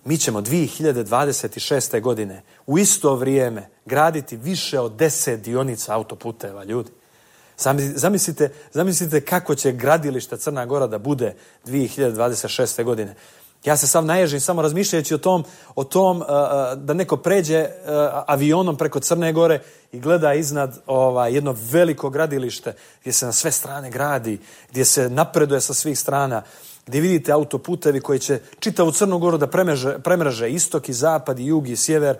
Mi ćemo 2026. godine u isto vrijeme graditi više od 10 dionica autoputeva, ljudi. Zamislite kako će gradilište Crna Gora da bude 2026. godine. Ja se sam naježim samo razmišljajući o tom da neko pređe avionom preko Crne Gore i gleda iznad jedno veliko gradilište gdje se na sve strane gradi, gdje se napreduje sa svih strana, gdje vidite autoputevi koji će čitavu Crnu Goru da premreže istok i zapad i jug i sjever.